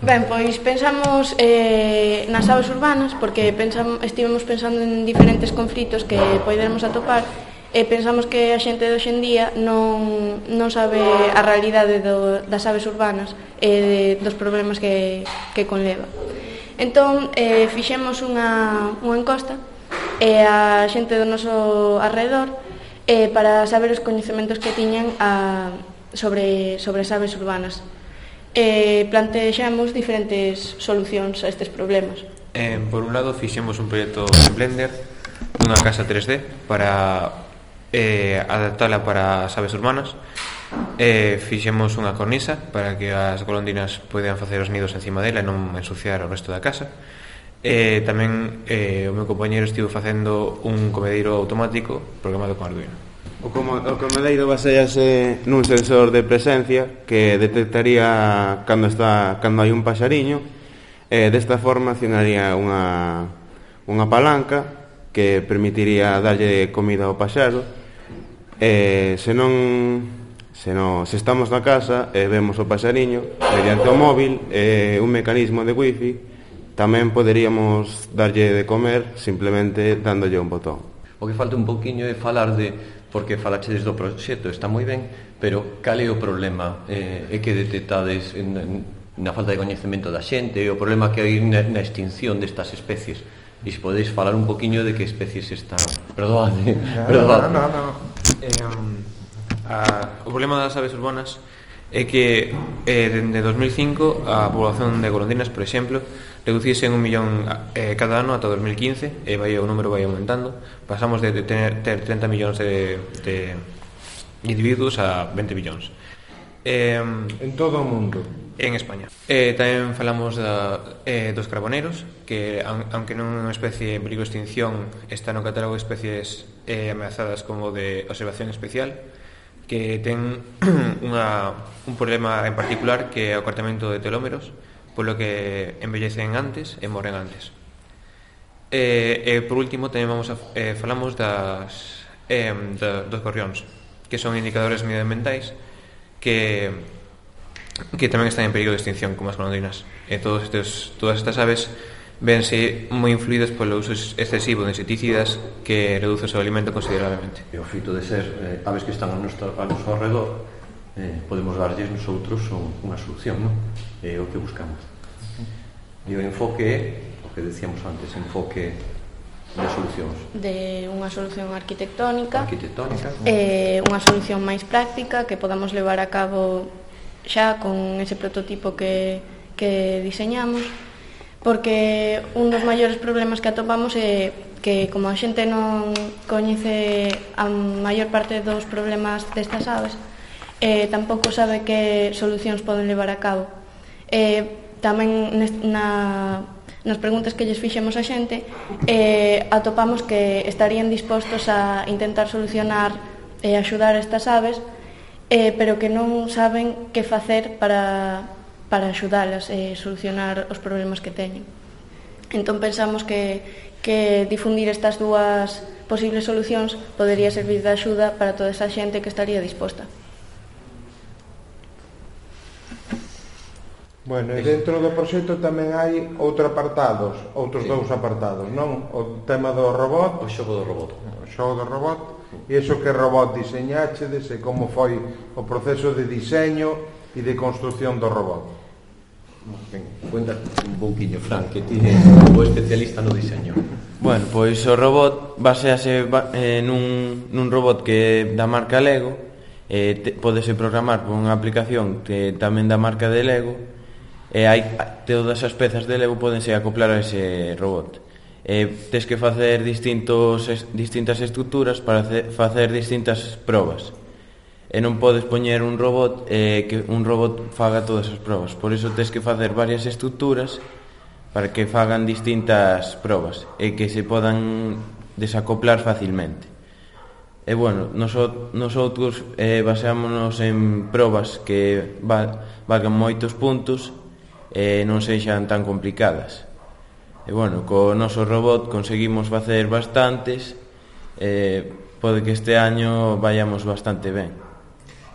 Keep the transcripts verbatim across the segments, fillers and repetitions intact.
Ben, pois pensamos eh, nas aves urbanas, porque pensamos, estivemos pensando en diferentes conflitos que poderemos atopar, e pensamos que a xente de hoxe en día non, non sabe a realidade do, das aves urbanas e de, dos problemas que, que conleva. Entón, eh, fixemos unha, unha encosta e a xente do noso alrededor eh, para saber os coñecementos que tiñan a, sobre, sobre as aves urbanas. E plantexamos diferentes solucións a estes problemas. Eh, por un lado, fixemos un proxecto en Blender dunha casa tres D para eh, adaptala para as aves urbanas. Eh, fixemos unha cornisa para que as golondrinas poidan facer os nidos encima dela e non ensuciar o resto da casa. Eh, tamén eh, o meu compañero estivo facendo un comedeiro automático programado con Arduino. O, como, o comedeiro basease nun sensor de presencia que detectaría cando está cando hai un paxariño e desta forma accionaría unha, unha palanca que permitiría darlle comida ao paxaro e se non se, non, se estamos na casa e vemos o paxariño mediante o móvil e un mecanismo de wifi tamén poderíamos darlle de comer simplemente dándolle un botón. O que falta un poquinho é falar de porque falache desde o proxecto, está moi ben, pero cal é o problema? Eh, é que detectades en, en, na falta de coñecemento da xente, o problema que hai na, na extinción destas especies. E se podeis falar un poquinho de que especies están... Perdoade, perdoade. No, no, no. Eh, um, a, o problema das aves urbanas é que eh, dende dos mil cinco a población de golondrinas, por exemplo, reducise en un millón eh, cada ano ata dos mil quince e vai, o número vai aumentando. Pasamos de ter, ter treinta millóns de, de individuos a veinte millóns eh, en todo o mundo. En España. Eh, tamén falamos da, eh, dos carboneros, que aunque non é unha especie en perigo de extinción, está no catálogo de especies eh, ameazadas como de observación especial, que ten unha, un problema en particular que é o acortamento de telómeros, polo que envellecen antes e moren antes. E, e por último tamén vamos a, eh, falamos das, eh, da, dos gorrións, que son indicadores medioambientais que, que tamén están en perigo de extinción como as golondrinas. E todos estes, todas estas aves vense moi influídas polo uso excesivo de insecticidas que reduce o seu alimento considerablemente. E o feito de ser eh, aves que están a noso, a noso alrededor, eh, podemos darlles nosotros unha solución, non? É o que buscamos. E o enfoque é, o que decíamos antes, enfoque de solucións. De unha solución arquitectónica, arquitectónica e unha solución máis práctica que podamos levar a cabo xa con ese prototipo que, que diseñamos, porque un dos maiores problemas que atopamos é que como a xente non coñece a maior parte dos problemas destas aves, eh, tampouco sabe que solucións poden levar a cabo. Eh, tamén na, nas preguntas que lles fixemos a xente eh, atopamos que estarían dispostos a intentar solucionar e eh, axudar estas aves, eh, pero que non saben que facer para para axudalas e solucionar os problemas que teñen. Entón pensamos que, que difundir estas dúas posibles solucións podería servir de axuda para toda esa xente que estaría disposta. Bueno, e dentro do proxecto tamén hai outros apartados, outros sí. dous apartados, non? O tema do robot, o xogo do robot. O xogo do robot, e iso que robot diseñachedes e como foi o proceso de diseño e de construción do robot. Ben, cuenta un pouquiño, Fran, que ti é o especialista no diseño. Bueno, pois o robot basease eh, nun, nun robot que da marca Lego, eh, te, podese programar por unha aplicación que tamén da marca de Lego, e hai todas as pezas de Lego podense acoplar a ese robot. Eh, tes que facer distintos, distintas estructuras para facer distintas probas. E non podes poñer un robot eh, que un robot faga todas as probas. Por iso tes que facer varias estructuras para que fagan distintas probas e que se podan desacoplar facilmente. E bueno, nosotros eh, baseámonos en probas que val, valgan moitos puntos e non sexan tan complicadas. E bueno, co noso robot conseguimos facer bastantes e pode que este año vayamos bastante ben.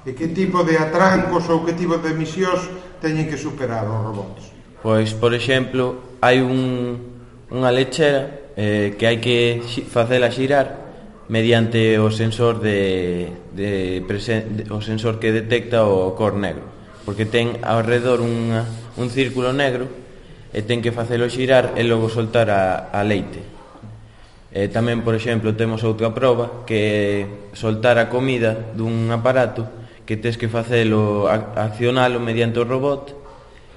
E que tipo de atrancos ou que tipo de misións teñen que superar os robots? Pois, por exemplo, hai un, unha lechera eh, que hai que facela xirar mediante o sensor de, de, presen, de o sensor que detecta o cor negro, porque ten ao redor unha, un círculo negro e ten que facelo xirar e logo soltar a, a leite. E tamén, por exemplo, temos outra proba que soltar a comida dun aparato que tes que facelo, accionalo mediante o robot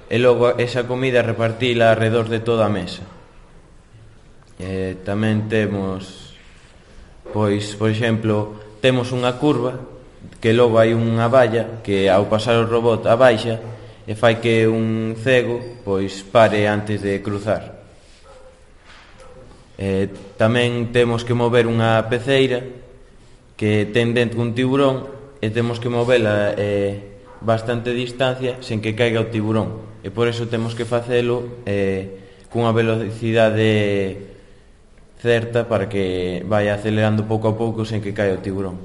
e logo esa comida repartila alrededor de toda a mesa. E tamén temos, pois, por exemplo, temos unha curva que logo hai unha valla que ao pasar o robot abaixa e fai que un cego pois pare antes de cruzar. Eh, tamén temos que mover unha peceira que ten dentro un tiburón e temos que movela eh, bastante distancia sen que caiga o tiburón, e por eso temos que facelo eh, cunha velocidade certa para que vaya acelerando pouco a pouco sen que caia o tiburón.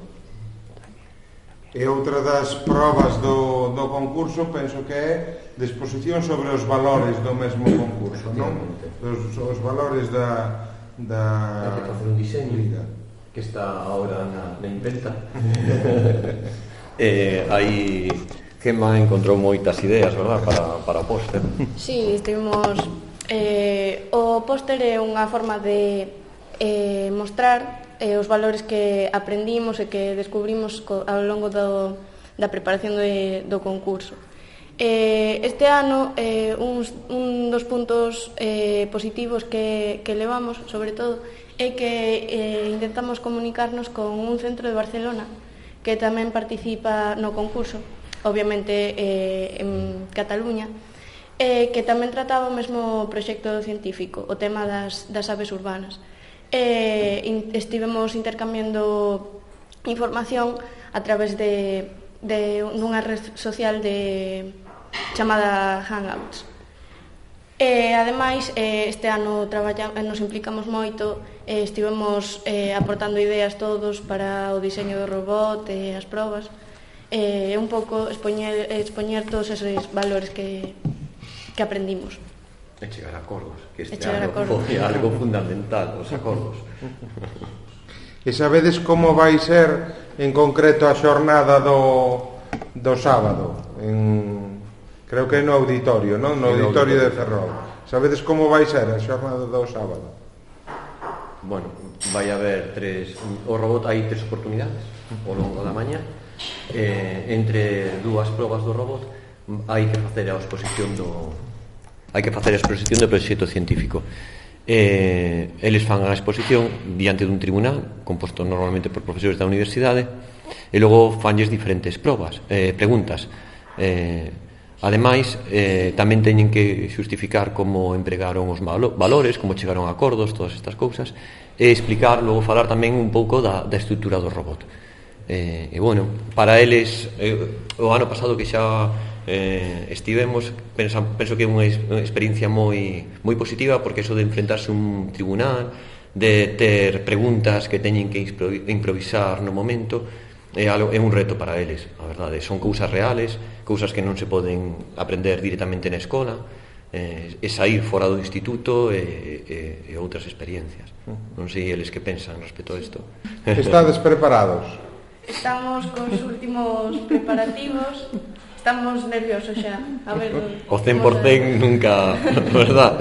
E outra das probas do, do concurso penso que é de exposición sobre os valores do mesmo concurso, non? Os, os valores da da... Hai que facer un diseño que está agora na, na imprenta. eh, aí Gemma encontrou moitas ideas, verdad, para, para o póster. Sí, estivemos eh, o póster é unha forma de eh, mostrar eh, os valores que aprendimos e que descubrimos co, ao longo do, da preparación de, do concurso. Eh, este ano eh, uns, un dos puntos eh, positivos que, que levamos, sobre todo, é que eh, intentamos comunicarnos con un centro de Barcelona que tamén participa no concurso, obviamente eh, en Cataluña, eh, que tamén trataba o mesmo proxecto científico, o tema das, das aves urbanas. Eh, in, estivemos intercambiando información a través de, de dunha red social de chamada Hangouts. E, ademais, eh, este ano traballa, nos implicamos moito, eh, estivemos eh, aportando ideas todos para o diseño do robot e as probas, e eh, un pouco expoñer, expoñer todos esos valores que, que aprendimos. E chegar a acordos, que este ano foi algo fundamental, os acordos. E sabedes como vai ser en concreto a xornada do, do sábado? En... Creo que é no auditorio, non? No auditorio de Ferrol. Sabedes como vai ser a xornada do sábado? Bueno, vai haber tres... O robot hai tres oportunidades ao longo da mañá. Eh, entre dúas probas do robot hai que facer a exposición do... Hai que facer a exposición do proxecto científico. Eh, eles fan a exposición diante dun tribunal composto normalmente por profesores da universidade e logo fanlles diferentes probas, eh, preguntas. Eh, Ademais, eh, tamén teñen que xustificar como empregaron os valores, como chegaron a acordos, todas estas cousas, e explicar, logo falar tamén un pouco da, da estrutura do robot. Eh, e, bueno, para eles, eh, o ano pasado que xa eh, estivemos, penso, penso que é unha experiencia moi, moi positiva, porque eso de enfrentarse a un tribunal, de ter preguntas que teñen que improvisar no momento, é, algo, é un reto para eles, a verdade. Son cousas reales, cousas que non se poden aprender directamente na escola, eh, e sair fora do instituto e, e, e outras experiencias. Non sei eles que pensan respecto a isto. Estades preparados? Estamos cos últimos preparativos, estamos nerviosos xa. A ver, o cen por cen a... nunca, verdad?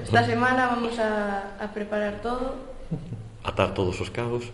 Esta semana vamos a, a preparar todo. Atar todos os cabos.